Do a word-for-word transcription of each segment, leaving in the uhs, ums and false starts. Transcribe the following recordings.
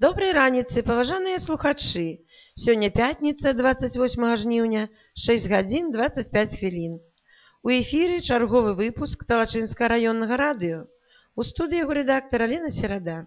Добрай раніцы, паважаныя слухачы! Сёння пятніца, дваццаць восьмага жніўня, шэсць гадзін дваццаць пяць хвілін. У эфіры чарговы выпуск Талачынскага раённага радыё. У студыі яго рэдактар Алена Серада.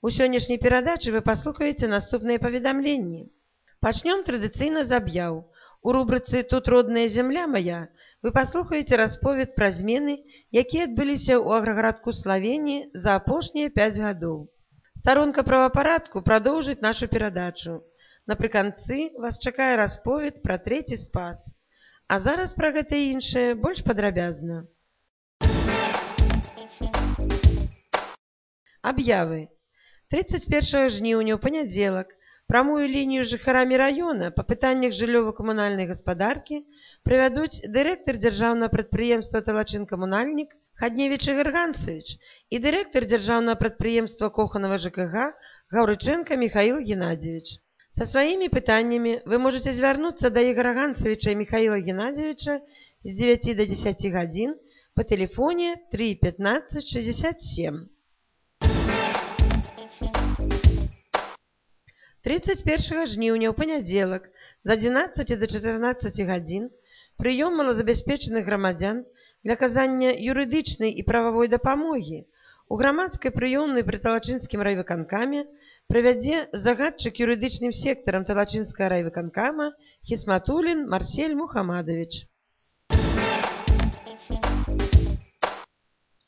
У сённяшняй перадачы вы паслухаеце наступныя паведамленні. Пачнём традыцыйна з аб'яў. У рубрыцы «Тут родная зямля моя» вы паслухаеце расповед пра змены, якія адбыліся ў аграгарадку Славении за апошнія пяць гадоў. Старонка правапарадку прадоўжыць нашу перадачу. Напрыканцы вас чакае расповед пра трэці спас. А зараз пра гэта і іншае больш падрабязна. Аб'явы. тридцать першага жніўня ў панядзелак прамую лінію з жыхарамі раёна па пытаннях жыллёва-камунальнай гаспадаркі правядуць дырэктар дзяржаўнага прадпрыемства «Талачын-камунальнік» Хадневіч Ігор Ганцевич і дырэктар дзяржаўнага прадпрыемства Коханава ЖКГ Гаўрыченко Михаил Геннадьевич. Со сваімі пытаннямі вы можете звярнуцца да Ігора Ганцевича і Михаила Геннадьевича з дзевяці да дзесяці гадзін па тэлефоне три пятнадцать шестьдесят семь. тридцать першага жніўня ў панядзелак з адзінаццаці да чатырнаццаці гадзін прыём малазабяспечаных грамадзян для аказання юрыдычнай і прававой дапамогі у грамадскай прыёмнай пры Талачынскім райвыканкаме правядзе загадчык юрыдычным сектарам Талачынскага райвыканкама Хісматулін Марсель Мухамадович.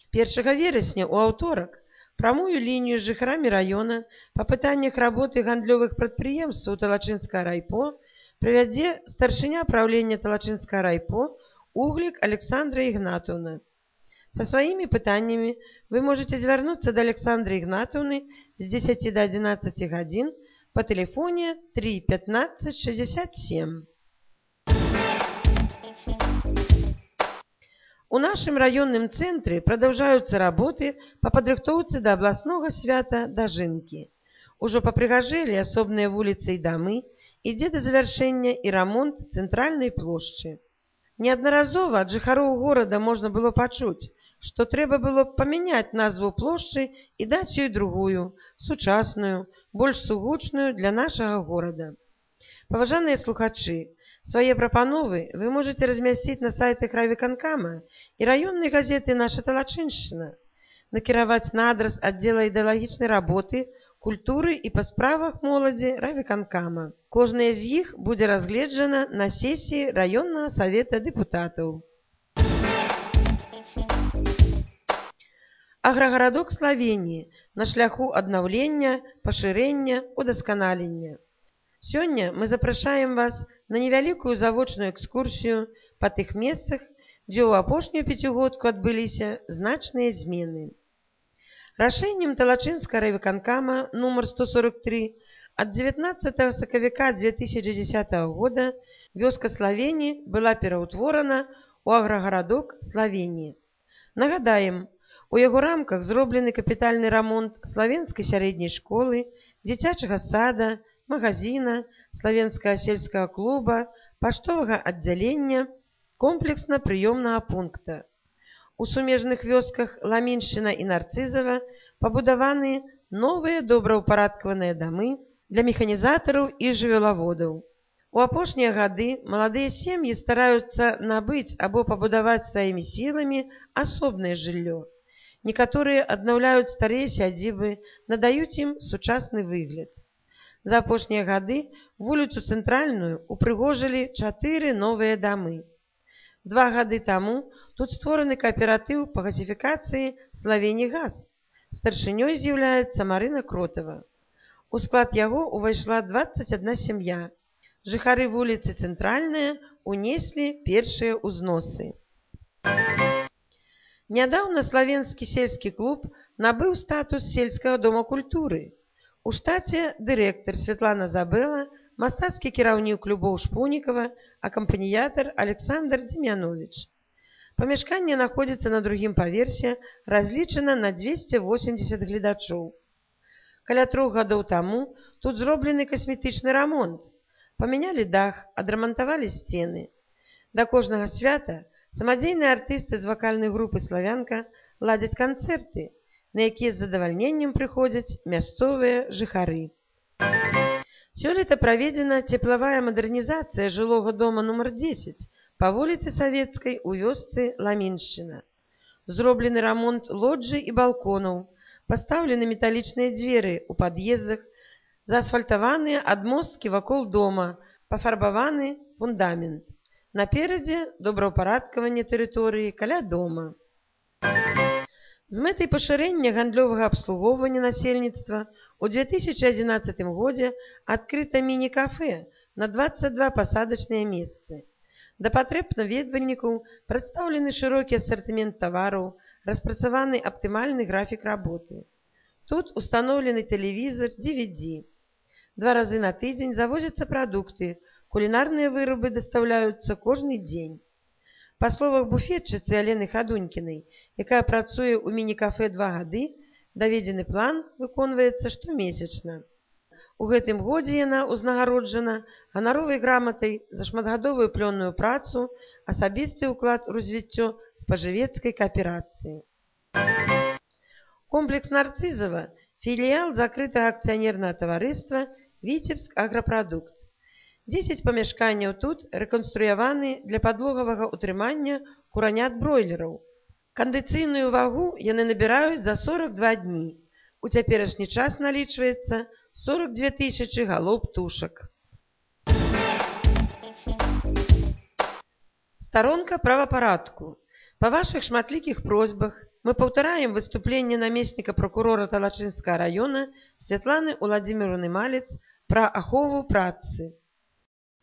першага верасня ў аўторак прамую лінію з жыхарамі раёна па пытаннях работы гандлёвых прадпрыемстваў Талачынскага райпо правядзе старшыня праўлення Талачынскага райпо Углік Александра Ігнатаўна. Са сваімі пытаннямі вы можете звярнуцца да Александры Ігнатаўны з дзесяці да адзінаццаці гадзін па тэлефоне три пятнадцать шестьдесят семь. У нашым раённым цэнтры прадаўжаюцца работы па падрыхтоўцы да абласнога свята дажынкі. Ужо папрыгажэлі асобныя вуліцы і дамы, ідзе да завяршэння і рамонт цэнтральнай плошчы. Неаднаразова ад жыхароў горада можна было пачуць, што трэба было памяняць назву плошчы і даць ёй другую, сучасную, больш сугучную для нашага горада. Паважаныя слухачы, свае прапановы вы можете размясціць на сайтах райвыканкама і раённай газеты «Наша Талачыншчына», накіраваць на адрас аддзела ідэалагічнай работы, культуры і па справах моладзі райвыканкама. Кожная з іх будзе разгледжана на сесіі раённага савета дэпутатаў. Аграгарадок Славении на шляху аднаўлення, пашырэння, удасканалення. Сёння мы запрашаем вас на невялікую завочную экскурсію па тых месцах, дзе ў апошнюю пяцігодку адбыліся значныя змены. Рашэннем Талачынскага райвыканкама нумар сто сорок три ад дзевятнаццатага сакавіка две тысячи дзесятага года вёска Славении была пераўтворана ў аграгарадок Славении. Нагадаем, у яго рамках зроблены капітальны рамонт славенскай сярэдняй школы, дзіцячага сада, магазина, славенскага сельскага клуба, паштовага аддзялення, комплексна-прыёмнага пункта. У сумежных вёсках Ламіншчына і Нарцызава пабудаваны новыя добраўпарадкаваныя дамы для механізатараў і жывёлаводаў. У апошнія гады маладыя сем'і стараюцца набыць або пабудаваць сваімі сіламі асобнае жыллё. Некаторыя аднаўляюць старыя сядзібы, надаюць ім сучасны выгляд. За апошнія гады вуліцу цэнтральную упрыгожылі чатыры новыя дамы. Два гады таму тут створаны кааператыў па газіфікацыі «Славенігаз». Старшынёй з'яўляецца Марына Кротава. У склад яго ўвайшла дваццаць адна сям'я. Жыхары вуліцы Цэнтральная унеслі першыя ўзносы. Нядаўна славенскі сельскі клуб набыў статус сельскага дома культуры. У штаце дырэктар Святлана Забэла, мастацкі кіраўнік клубоў Шпунікава, акампаніятар Александр Демьянович. Памяшканне знаходзіцца на другім паверсе, разлічана на дзвесце восемдзесят гледачоў. Каля трох гадоў таму тут зроблены касметычны рамонт. Памянялі дах, адрамантавалі сцены. Да кожнага свята самадзейныя артысты з вакальнай групы «Славянка» ладзяць канцэрты. на якія з задавальненнем прыходзяць мясцовыя жыхары. Сёлета праведзена цеплавая мадэрнізацыя жылога дома нумар дзесяць па вуліцы Савецкай у вёсцы Ламіншчына. Зроблены рамонт лоджый і балконаў, пастаўлены металічныя дзверы ў пад'ездах, заасфальтаваныя адмосткі вакол дома, пафарбаваны фундамент. Наперадзе добраўпарадкаванне тэрыторыі каля дома. З мэтай пашырэння гандлёвага абслугоўвання насельніцтва у две тысячи одиннадцатым годзе адкрыта міні-кафэ на дваццаць два пасадачныя месцы. Да патрэб наведвальнікаў прадстаўлены шырокі асартымент тавараў, распрацаваны аптымальны графік работы. Тут устаноўлены тэлевізар, ди ви ди. Два разы на тыдзень завозяцца прадукты, кулінарныя вырабы дастаўляюцца кожны дзень. Па словах буфетчыцы Алены Хадунькінай, якая працуе ў міні-кафэ два гады, даведзены план выконваецца штомесячна. У гэтым годзе яна ўзнагароджана ганаровай граматай за шматгадовую плённую працу, асабісты ўклад у развіццё спажывецкай кааперацыі. Комплекс Нарцызава – філіял закрытага акцыянернага таварыства «Віцебск Аграпрадукт». дзесяць памяшканняў тут рэканструяваны для падлогавага ўтрымання куранят-бройлераў. Кандыцыйную вагу яны набіраюць за сорок два дні. У цяперашні час налічваецца сорок две тысячы галоў птушак. Старонка правапарадку. Па вашых шматлікіх просьбах мы паўтараем выступленне намесніка прокурора Талачынскага района Святланы Уладзіміровны Малец пра ахову працы.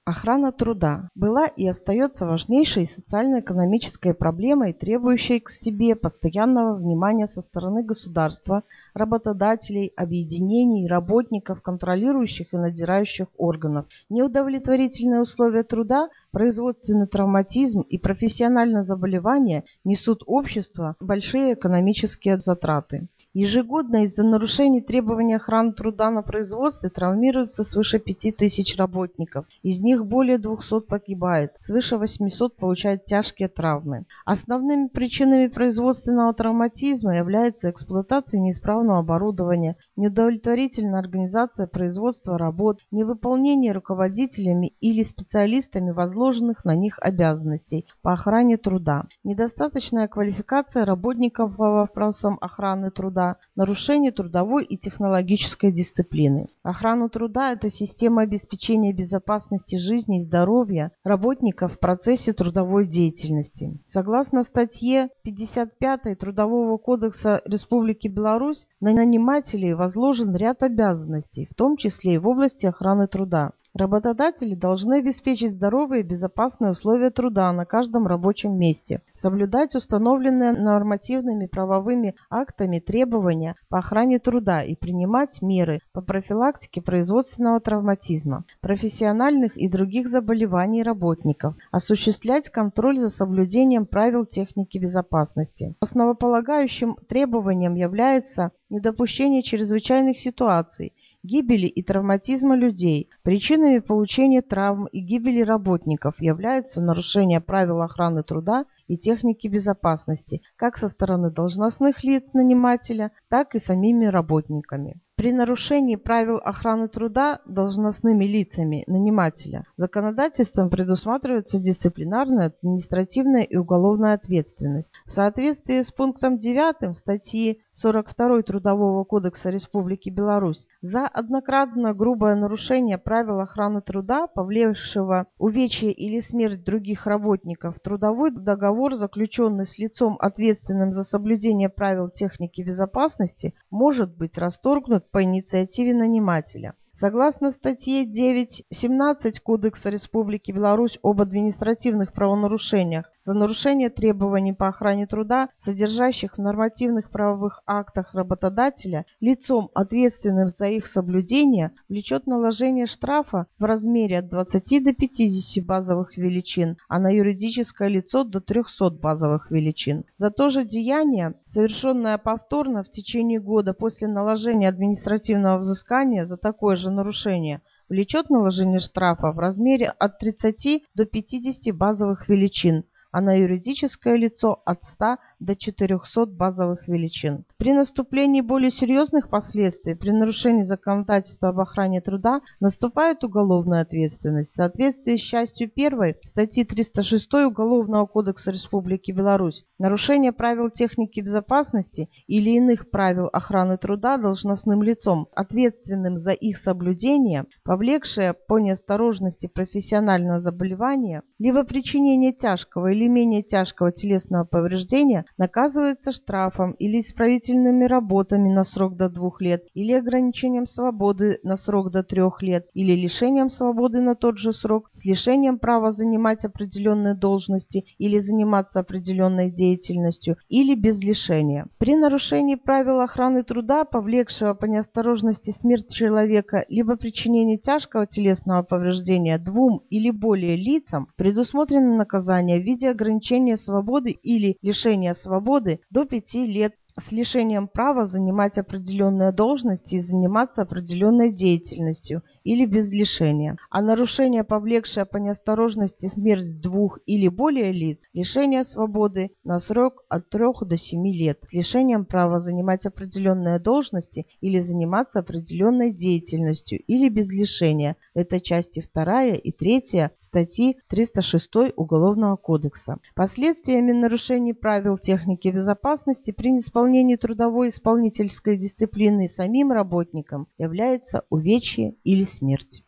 Охрана труда была и остается важнейшей социально-экономической проблемой, требующей к себе постоянного внимания со стороны государства, работодателей, объединений, работников, контролирующих и надзирающих органов. Неудовлетворительные условия труда, производственный травматизм и профессиональное заболевание несут обществу большие экономические затраты. Ежегодно из-за нарушений требований охраны труда на производстве травмируется свыше пяти тысяч работников. Из них более двухсот погибает, свыше восьмисот получают тяжкие травмы. Основными причинами производственного травматизма является эксплуатация неисправного оборудования, неудовлетворительная организация производства работ, невыполнение руководителями или специалистами возложенных на них обязанностей по охране труда, недостаточная квалификация работников по вопросам охраны труда, нарушение трудовой и технологической дисциплины. Охрана труда – это система обеспечения безопасности жизни и здоровья работников в процессе трудовой деятельности. Согласно статье пятьдесят пятой Трудового кодекса Республики Беларусь, на нанимателей возложен ряд обязанностей, в том числе и в области охраны труда. Работодатели должны обеспечить здоровые и безопасные условия труда на каждом рабочем месте, соблюдать установленные нормативными правовыми актами требования по охране труда и принимать меры по профилактике производственного травматизма, профессиональных и других заболеваний работников, осуществлять контроль за соблюдением правил техники безопасности. Основополагающим требованием является недопущение чрезвычайных ситуаций, гибели и травматизма людей. Причинами получения травм и гибели работников являются нарушение правил охраны труда и техники безопасности, как со стороны должностных лиц нанимателя, так и самими работниками. При нарушении правил охраны труда должностными лицами нанимателя законодательством предусматривается дисциплинарная, административная и уголовная ответственность. В соответствии с пунктом девятым статьи сорок второй Трудового кодекса Республики Беларусь за однократное грубое нарушение правил охраны труда, повлекшего увечье или смерть других работников, трудовой договор, заключенный с лицом, ответственным за соблюдение правил техники безопасности, может быть расторгнут по инициативе нанимателя. Согласно статье девять семнадцать Кодекса Республики Беларусь об административных правонарушениях за нарушение требований по охране труда, содержащих в нормативных правовых актах работодателя, лицом, ответственным за их соблюдение, влечет наложение штрафа в размере от двадцати до пятидесяти базовых величин, а на юридическое лицо до трехсот базовых величин. За то же деяние, совершенное повторно в течение года после наложения административного взыскания за такое же нарушение, влечет наложение штрафа в размере от тридцати до пятидесяти базовых величин, а на юридическое лицо от ста до четырёхсот базовых величин. При наступлении более серьезных последствий, при нарушении законодательства об охране труда, наступает уголовная ответственность. В соответствии с частью первой статьи триста шестой Уголовного кодекса Республики Беларусь, нарушение правил техники безопасности или иных правил охраны труда должностным лицом, ответственным за их соблюдение, повлекшее по неосторожности профессионального заболевания, либо причинение тяжкого или менее тяжкого телесного повреждения, наказывается штрафом или исправительными работами на срок до двух лет, или ограничением свободы на срок до трех лет, или лишением свободы на тот же срок, с лишением права занимать определенные должности или заниматься определенной деятельностью, или без лишения. При нарушении правил охраны труда, повлекшего по неосторожности смерть человека, либо причинение тяжкого телесного повреждения двум или более лицам, предусмотрено наказание в виде ограничения свободы или лишения свободы до пяти лет с лишением права занимать определенные должности и заниматься определенной деятельностью или без лишения, а нарушение, повлекшее по неосторожности смерть двух или более лиц, лишение свободы на срок от трёх до семи лет с лишением права занимать определенные должности или заниматься определенной деятельностью или без лишения. Это части вторая и третья статьи триста шестой Уголовного кодекса. Последствиями нарушений правил техники безопасности при неисполнении трудовой исполнительской дисциплины самим работникам является увечье или смерть.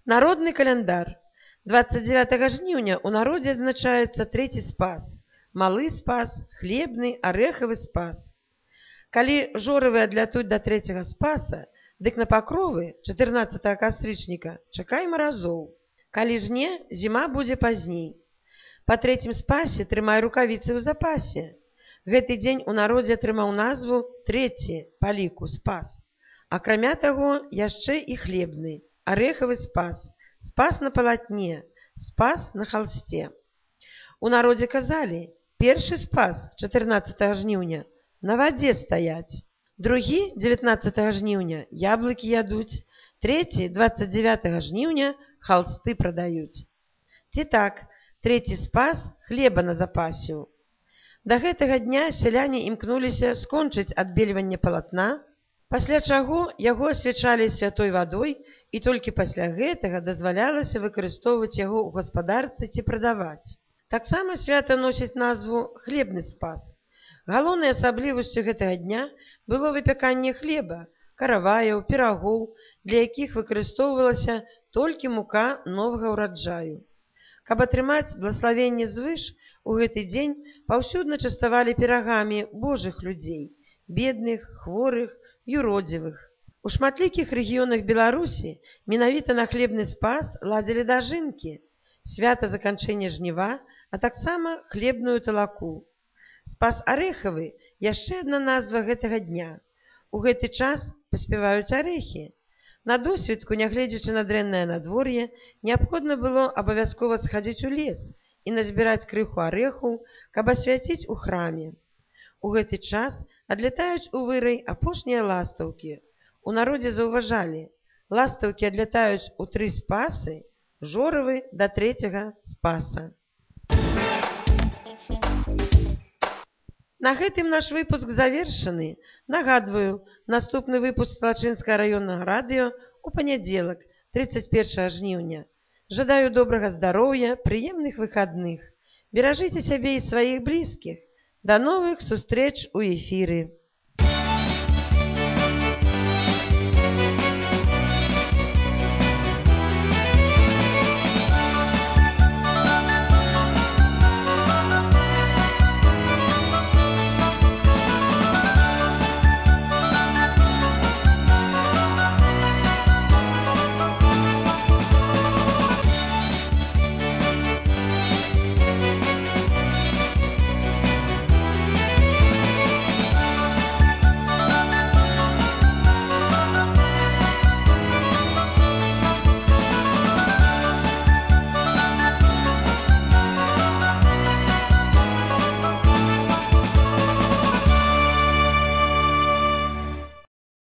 Народный календар. двадцать девятага жніўня у народе адзначаецца трэці спас, малы спас, хлебны, арэхавы спас. Калі жорывы адлятуць да трэцяга спаса, дык на пакровы чатырнаццатага кастрычніка чакай маразоў. Калі ж не, зіма будзе пазней. Па трэцім спасе трымай рукавіцы ў запасе. Гэты дзень у народзе атрымаў назву трэці па ліку спас. Акрамя таго, яшчэ і хлебны, арэхавы спас, спас на палатне, спас на халсце. У народзе казалі, першы спас чатырнаццатага жніўня на вадзе стаяць, другі дзевятнаццатага жніўня яблыкі ядуць, трэці дваццаць дзевятага жніўня халсты прадаюць. Ці так, трэці спас хлеба на запасіў. Да гэтага дня сяляне імкнуліся скончыць адбельванне палатна, пасля чаго яго асвячалі святой вадой і толькі пасля гэтага дазвалялася выкарыстоўваць яго ў гаспадарцы ці прадаваць. Таксама свята носіць назву хлебны спас. Галоўнай асаблівасцю гэтага дня было выпяканне хлеба, караваяў, пірагоў, для якіх выкарыстоўвалася толькі мука новага ўраджаю. Каб атрымаць благаславенне звыш, у гэты дзень паўсюдна частавалі пірагамі божых людзей, бедных, хворых, юродзівых. У шматлікіх рэгіёнах Беларусі менавіта на хлебны спас ладзілі дажынкі, свята заканчэння жніва, а таксама хлебную талаку. Спас арэхавы – яшчэ адна назва гэтага дня. У гэты час паспяваюць арэхі. На досведку, нягледзячы на дрэннае надвор'е, неабходна было абавязкова схадзіць у лес і назбіраць крыху арэхаў, каб асвяціць у храме. У гэты час адлятаюць у вырай апошнія ластаўкі. У народзе заўважалі, ластаўкі адлятаюць у тры спасы, жорывы да трэцяга спаса. На гэтым наш выпуск завершаны. Нагадваю, наступны выпуск Салачынскага раённага радыё у панядзелак, тридцать первого жніўня. Жадаю добрага здароўя, прыемных выхадных. Беражыце сябе і сваіх блізкіх. До новых сустрэч у эфіры.